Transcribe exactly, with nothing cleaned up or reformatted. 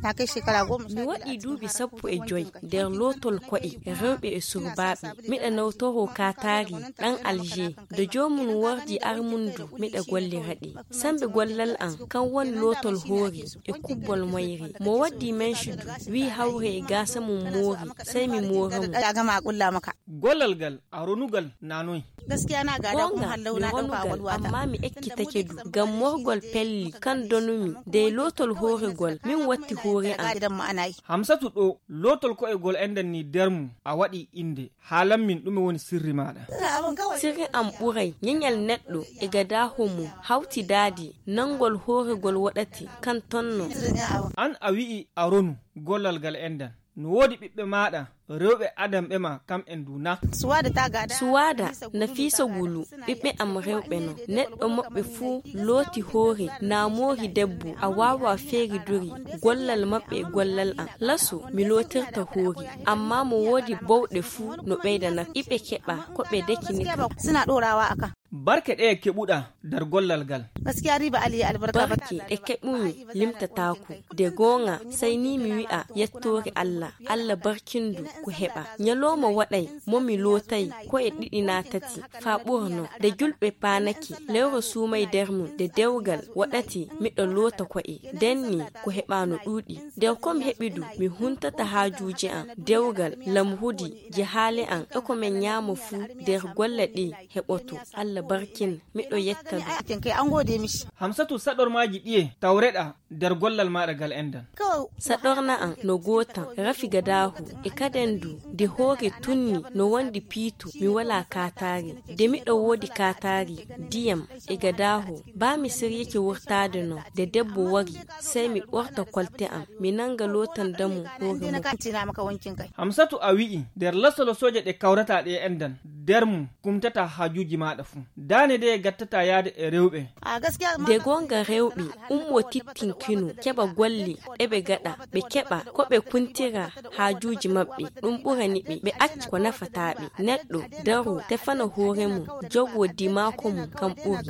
Mi waɗi duuɓi sappo e joy nder lootol ko'e rewɓe e surbaaɓe. Miɗa nawtoroo kaataari ɗan Alger. Nde joomum wardi armundu miɗa gollira ɗi. Sambe gollal an kan woni lootol hoore e kubbol moyre. Mo waddi mencudu wi hawre e gaasa mum moori, sey mi moora mo. Gollal gal a ronugal na noy? Goonga, mi ronugal, amma mi ekkitake du. Ngam morgol pelli kan donumi dey lootol hooregol min watti hoore am. Hamsatu ɗo lootol ko'egol enɗan ni der mum a waɗi innde. Haalan min ɗume woni sirri maaɗa? Sirri am ɓuray ɲeɲal neɗɗo e gadaaho mum hawtidaade nanngol hooregol waɗati kan tonno. An a wi'i a ronu gollal gal enɗan. No woodi ɓiɓɓe maaɗa rewɓe adanɓe ma kam'en du na? Suwaada, Nafiisa Gulu, ɓiɓɓe am rewɓe no. Neɗɗo maɓɓe fuu looti hoore na moori debbo a waawaa feeridori gollal maɓɓe e gollal am. Laso mi lootirta hoore, amma mo woodi bowɗe fuu no ɓeydanaka. Iɓe keɓa ko ɓe dekinita. Barke ɗeye keɓuɗaa der gollal gal? Barke ɗe keɓumi limtataaku. De gooŋa, sey ni mi wi'a yettoore Alla. Alla barkindu ko heɓa. Ɲalooma waɗay mo mi lootay ko'e ɗiɗi na tati faa ɓurano. De julɓe paanake, lewre suumay der mum, de dewgal waɗati miɗo loota ko'e. Den ni ko heɓa no ɗuuɗi. Der ko mi heɓi du, mi huntata haajuuji am, dewgal, lamruudi, jahaale am, e ko men ɲaama fu der golle ɗe heɓoto. Alla barkin. Miɗo yetta ɗum. Hamsatu, saɗormaaji ɗiye tawreɗaa der gollal maaɗa gal enɗan? Saɗorna am no gootam, rafi gadaahu e kaden du, de hoore tunni no wondi piitu, mi walaa kaataari. De miɗo woodi kaataari, diyam e gadaahu, baa mi siryike wurtaade no, de debbo wari, sey mi ɓorta kolte am, mi nannga lootanda mo hoore mum. Hamsatu, a wi'i der lasolo sooje ɗe kawrataa ɗe enɗan, der mum kumtataa haajuuji maaɗa fu. Daane de gattataa yaade e rewɓe. De goonga rewɓe ummoo tittinkino keɓa golle eɓe gaɗa, ɓe keɓa ko ɓe kuntira haajuuji maɓɓe, ɗum ɓurani ɓe, ɓe acca ko nafataa ɓe. Neɗɗo daroo tefana hoore mum, jogoo dimaako mum kam ɓuri.